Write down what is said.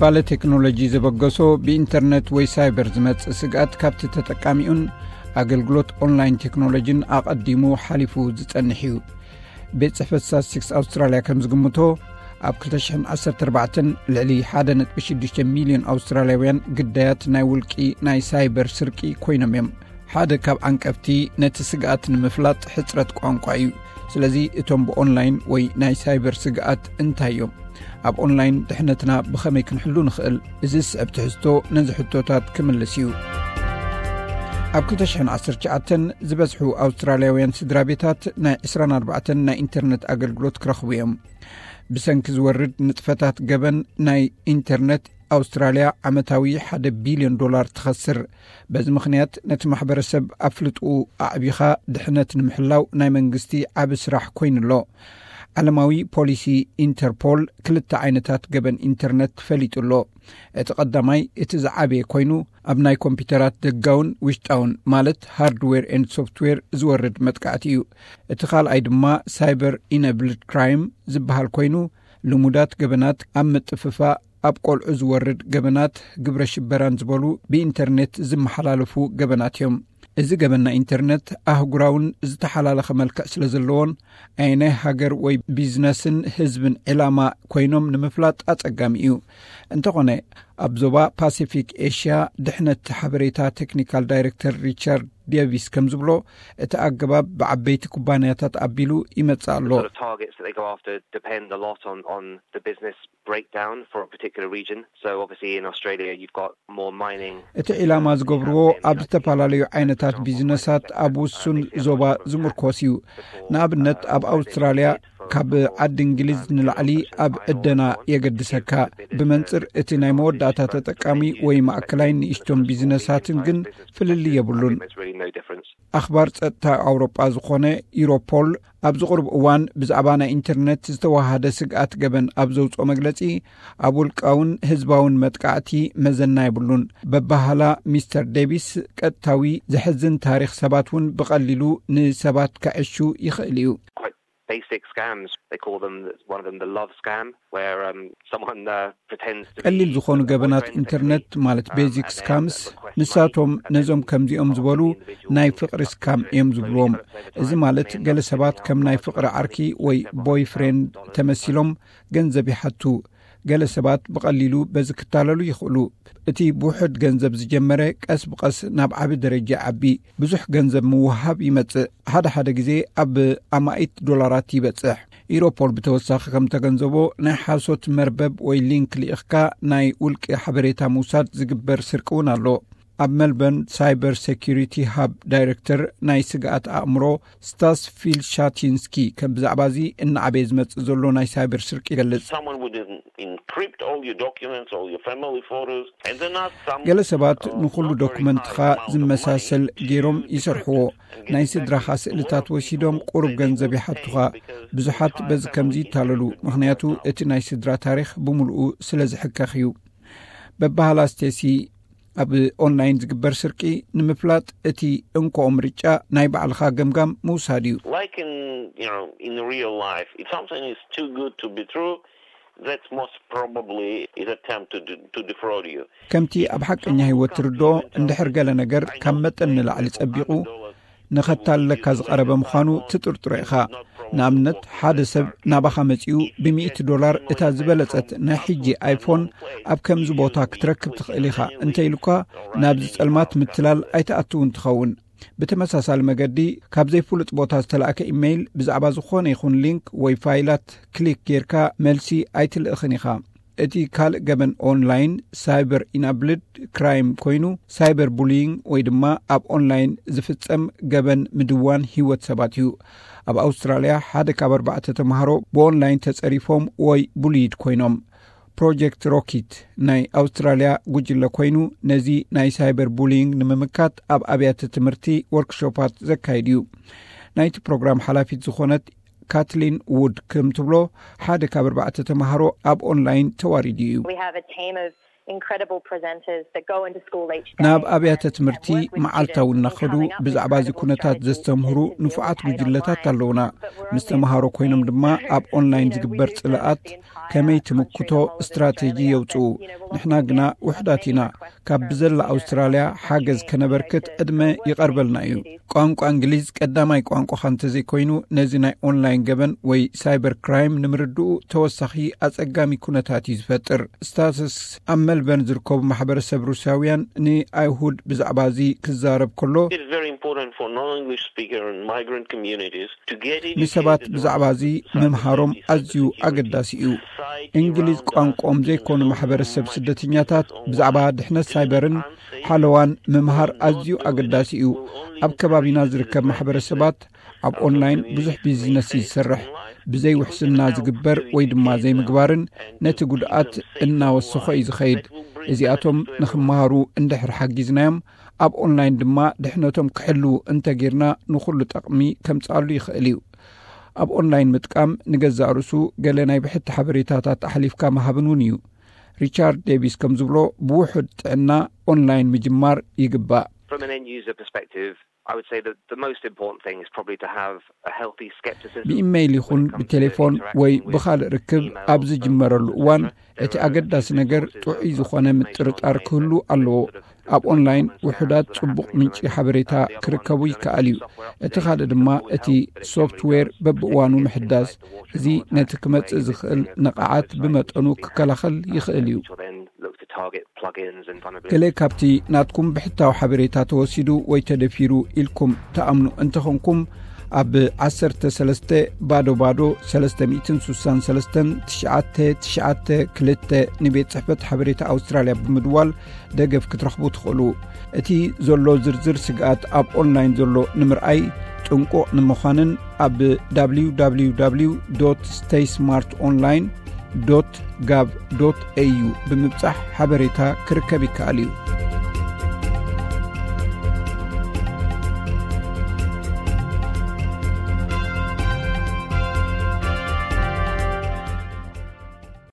ባለ ቴክኖሎጂ ዘበገሶ ብኢንተርነት ወይ ሳይበር ዝመጽእ ስግኣት ካብቲ ተጠቃሚኡን ኣገልግሎት ኦንላይን ቴክኖሎጂን ኣቐዲሙ ሓሊፉ ዝጸንሕ እዩ። ቤት ጽሕፈት ስታትስቲክስ ኣውስትራልያ ከም ዝግምቶ፣ ኣብ ክልተ ሽሕን ዓሰርተ ኣርባዕተን ልዕሊ ሓደ ነጥቢ ሽዱሽተ ሚልዮን ኣውስትራልያውያን ግዳያት ናይ ውልቂ ናይ ሳይበር ስርቂ ኮይኖም እዮም። ሓደ ካብ ዓንቀፍቲ ነቲ ስግኣት ንምፍላጥ ሕጽረት ቋንቋ እዩ። ስለዚ እቶም ብኦንላይን ወይ ናይ ሳይበር ስግኣት እንታይ እዮም? ኣብ ኦንላይን ድሕነትና ብኸመይ ክንሕሉ ንኽእል? እዚ ዝስዕብ ትሕዝቶ ነዚ ሕቶታት ክምልስ እዩ። ኣብ ክልተ ሽሕን ዓሰርተ ትሽዓተን ዝበዝሑ ኣውስትራልያውያን ስድራ ቤታት ናይ ዕስራን ኣርባዕተን ናይ ኢንተርነት ኣገልግሎት ክረኽቡ እዮም። ብሰንኪ ዝወርድ ንጥፈታት ገበን ናይ ኢንተርነት ኣውስትራልያ ዓመታዊ ሓደ ቢልዮን ዶላር ትኸስር። በዚ ምኽንያት ነቲ ማሕበረሰብ ኣፍልጥኡ ኣዕቢኻ ድሕነት ንምሕላው ናይ መንግስቲ ዓቢ ስራሕ ኮይኑ ኣሎ። ዓለማዊ ፖሊሲ ኢንተርፖል ክልተ ዓይነታት ገበን ኢንተርነት ፈሊጡ ኣሎ። እቲ ቀዳማይ እቲ ዝዓበየ ኮይኑ ኣብ ናይ ኮምፒውተራት ደጋውን ውሽጣውን ማለት ሃርድዌር ኤንድ ሶፍትዌር ዝወርድ መጥቃዕቲ እዩ። እቲ ካልኣይ ድማ ሳይበር ኢነብልድ ክራይም ዝበሃል ኮይኑ ልሙዳት ገበናት ኣብ ምጥፍፋእ ኣብ ቆልዑ ዝወርድ ገበናት ግብረ ሽበራን ዝበሉ ብኢንተርኔት ዝመሓላለፉ ገበናት እዮም። እዚ ገበን ናይ ኢንተርነት ኣህጉራውን ዝተሓላለኸ መልክዕ ስለ ዘለዎን ኣየናይ ሃገር ወይ ቢዝነስን ህዝብን ዕላማ ኮይኖም ንምፍላጥ ኣጸጋሚ እዩ። እንተኾነ ኣብ ዞባ ፓሲፊክ ኤሽያ ድሕነት ሓበሬታ ቴክኒካል ዳይሬክተር ሪቻርድ ዴቪስ ከም ዝብሎ እቲ ኣገባብ ብዓበይቲ ኩባንያታት ኣቢሉ ይመጽእ ኣሎ። Sort of targets that they go after depend a lot on, on the business breakdown for a particular region. So obviously in Australia you've got more mining. እቲ ዒላማ ዝገብርዎ ኣብ ዝተፈላለዩ ዓይነታት ቢዝነሳት ኣብ ውሱን ዞባ ዝምርኮስ እዩ። ንኣብነት ኣብ ኣውስትራልያ ካብ ዓዲ እንግሊዝ ንላዕሊ ኣብ ዕደና የገድሰካ። ብመንጽር እቲ ናይ መወዳእታ ተጠቃሚ ወይ ማእከላይ ንእሽቶም ቢዝነሳትን ግን ፍልልይ የብሉን። ኣኽባር ጸጥታ ኣውሮጳ ዝኾነ ዩሮፖል ኣብዚ ቁሩብ እዋን ብዛዕባ ናይ ኢንተርነት ዝተዋሃደ ስግኣት ገበን ኣብ ዘውፅኦ መግለጺ፣ ኣብ ውልቃውን ህዝባውን መጥቃዕቲ መዘና የብሉን። በባህላ ሚስተር ዴቪስ ቀጥታዊ ዘሕዝን ታሪኽ ሰባት እውን ብቐሊሉ ንሰባት ከዕሹ ይኽእል እዩ። Basic scams, they call them, one of them the love scam, where um, someone uh, pretends to be ቀሊል ዝኾኑ ገበናት ኢንተርነት ማለት ቤዚክ ስካምስ ንሳቶም ነዞም ከምዚኦም ዝበሉ ናይ ፍቕሪ ስካም እዮም ዝብልዎም። እዚ ማለት ገለ ሰባት ከም ናይ ፍቕሪ ዓርኪ ወይ ቦይፍሬንድ ተመሲሎም ገንዘብ ይሓቱ። ገለ ሰባት ብቐሊሉ በዚ ክታለሉ ይኽእሉ። እቲ ብውሑድ ገንዘብ ዝጀመረ ቀስ ብቐስ ናብ ዓቢ ደረጃ ይዓቢ። ብዙሕ ገንዘብ ምውሃብ ይመጽእ። ሓደ ሓደ ግዜ ኣብ ኣማኢት ዶላራት ይበጽሕ። ኢሮፖል ብተወሳኺ ከም ተገንዘቦ ናይ ሓሶት መርበብ ወይ ሊንክ ልኢኽካ ናይ ውልቂ ሓበሬታ ምውሳድ ዝግበር ስርቂ እውን ኣሎ። ኣብ ሜልበርን ሳይበር ሴኩሪቲ ሃብ ዳይሬክተር ናይ ስግኣት ኣእምሮ ስታስ ፊልሻቲንስኪ ከም ብዛዕባ እዚ እናዓበየ ዝመጽእ ዘሎ ናይ ሳይበር ስርቂ ይገልጽ። Someone would en- encrypt all your documents, all your family photos, and then ask some. ገለ ሰባት ንኹሉ ዶኩመንትኻ ዝመሳሰል ገይሮም ይሰርሕዎ። ናይ ስድራኻ ስእልታት ወሲዶም ቁሩብ ገንዘብ ይሓቱኻ። ብዙሓት በዚ ከምዚ ይታለሉ፣ ምኽንያቱ እቲ ናይ ስድራ ታሪኽ ብምልኡ ስለ ዝሕከኽ እዩ። በባህላ ስቴሲ ኣብ ኦንላይን ዝግበር ስርቂ ንምፍላጥ እቲ እንኮ ምርጫ ናይ ባዕልኻ ገምጋም ምውሳድ እዩ። Like in you know in real life, if something is too good to be true, that's most probably is attempt to de- to defraud you. ከምቲ ኣብ ሓቀኛ ህይወት ትርድኦ፣ እንድሕር ገለ ነገር ካብ መጠን ንላዕሊ ጸቢቑ ንኸታልለካ ዝቐረበ ምዃኑ ትጥርጥሮ ኢኻ። ንኣብነት ሓደ ሰብ ናባኻ መጺኡ ብሚእቲ ዶላር እታ ዝበለጸት ናይ ሕጂ ኣይፎን ኣብ ከምዚ ቦታ ክትረክብ ትኽእል ኢኻ እንተኢሉካ፣ ናብዚ ጸልማት ምትላል ኣይትኣትውን ትኸውን። ብተመሳሳሊ መገዲ ካብ ዘይፍሉጥ ቦታ ዝተላእከ ኢሜይል ብዛዕባ ዝኾነ ይኹን ሊንክ ወይ ፋይላት ክሊክ ጌርካ መልሲ ኣይትልእኽን ኢኻ። እቲ ካልእ ገበን ኦንላይን ሳይበር ኢናብልድ ክራይም ኮይኑ ሳይበር ቡሊይንግ ወይ ድማ ኣብ ኦንላይን ዝፍጸም ገበን ምድዋን ህይወት ሰባት እዩ። ኣብ ኣውስትራልያ ሓደ ካብ ኣርባዕተ ተምሃሮ ብኦንላይን ተጸሪፎም ወይ ቡሊይድ ኮይኖም። ፕሮጀክት ሮኪት ናይ ኣውስትራልያ ጉጅለ ኮይኑ ነዚ ናይ ሳይበር ቡሊይንግ ንምምካት ኣብ ኣብያተ ትምህርቲ ወርክሾፓት ዘካይድ እዩ። ናይቲ ፕሮግራም ሓላፊት ዝኾነት ካትሊን ውድ ከም ትብሎ ሓደ ካብ ኣርባዕተ ተምሃሮ ኣብ ኦንላይን ተዋሪዱ እዩ። We have a team of incredible presenters that go into school each day ናብ ኣብያተ ትምህርቲ and work with መዓልታዊ students እናኸዱ coming up ብዛዕባ እዚ incredible ኩነታት challenges ዘስተምህሩ ንፉዓት ጉጅለታት ኣለውና። ምስ ተምሃሮ ኮይኖም ድማ ኣብ ኦንላይን ዝግበር ጽልኣት ከመይ ትምክቶ ስትራቴጂ የውጽኡ። ንሕና ግና ውሕዳት ኢና። ካብ ብዘላ ኣውስትራልያ ሓገዝ ከነበርክት ዕድመ ይቐርበልና እዩ። ቋንቋ እንግሊዝ ቀዳማይ ቋንቋኻ እንተዘይኮይኑ፣ ነዚ ናይ ኦንላይን ገበን ወይ ሳይበር ክራይም ንምርድኡ ተወሳኺ ኣጸጋሚ ኩነታት እዩ ዝፈጥር። ስታትስ ኣብ መልበርን ዝርከቡ ማሕበረሰብ ሩስያውያን ንኣይሁድ ብዛዕባ እዚ ክዛረብ ከሎ፣ It's very important for non-English speaker and migrant communities to get educated ንሰባት ብዛዕባ እዚ ምምሃሮም ኣዝዩ ኣገዳሲ እዩ። እንግሊዝ ቋንቋኦም ዘይኮኑ ማሕበረሰብ ስደተኛታት ብዛዕባ ድሕነት ሳይበርን ሓለዋን ምምሃር ኣዝዩ ኣገዳሲ እዩ። ኣብ ከባቢና ዝርከብ ማሕበረሰባት ኣብ ኦንላይን ብዙሕ ቢዝነስ እዩ ዝሰርሕ። ብዘይ ውሕስና ዝግበር ወይ ድማ ዘይምግባርን ነቲ ጉድኣት እናወሰኾ እዩ ዝኸይድ። እዚኣቶም ንኽመሃሩ እንድሕር ሓጊዝናዮም፣ ኣብ ኦንላይን ድማ ድሕነቶም ክሕልዉ እንተጌርና፣ ንኹሉ ጠቕሚ ከምጽኣሉ ይኽእል እዩ። ኣብ ኦንላይን ምጥቃም ንገዛእ ርእሱ ገለ ናይ ብሕቲ ሓበሬታታት ኣሕሊፍካ ምሃብን እውን እዩ። ሪቻርድ ዴቪስ ከም ዝብሎ፣ ብውሑድ ጥዕና ኦንላይን ምጅማር ይግባእ። From an end user perspective, I would say that the most important thing is probably to have a healthy skepticism ብኢሜይል ይኹን ብቴሌፎን ወይ ብኻልእ ርክብ ኣብ ዝጅመረሉ እዋን፣ እቲ ኣገዳሲ ነገር ጥዑይ ዝኾነ ምጥርጣር ክህሉ ኣለዎ። ኣብ ኦንላይን ውሑዳት ጽቡቕ ምንጪ ሓበሬታ ክርከቡ ይከኣል እዩ። እቲ ካልእ ድማ እቲ ሶፍትዌር በብእዋኑ ምሕዳስ። እዚ ነቲ ክመጽእ ዝኽእል ነቓዓት ብመጠኑ ክከላኸል ይኽእል እዩ። ገለ ካብቲ ናትኩም ብሕታዊ ሓበሬታ ተወሲዱ ወይ ተደፊሩ ኢልኩም ትኣምኑ እንተኾንኩም፣ ኣብ ዓሰርተ ሰለስተ ባዶ ባዶ ሰለስተ ሚእትን ስሳን ሰለስተን ትሽዓተ ትሽዓተ ክልተ ንቤት ጽሕፈት ሓበሬታ ኣውስትራልያ ብምድዋል ደገፍ ክትረኽቡ ትኽእሉ። እቲ ዘሎ ዝርዝር ስግኣት ኣብ ኦንላይን ዘሎ ንምርኣይ ጥንቁቕ ንምዃንን ኣብ www stay smart online gov au ብምብጻሕ ሓበሬታ ክርከብ ይከኣል እዩ።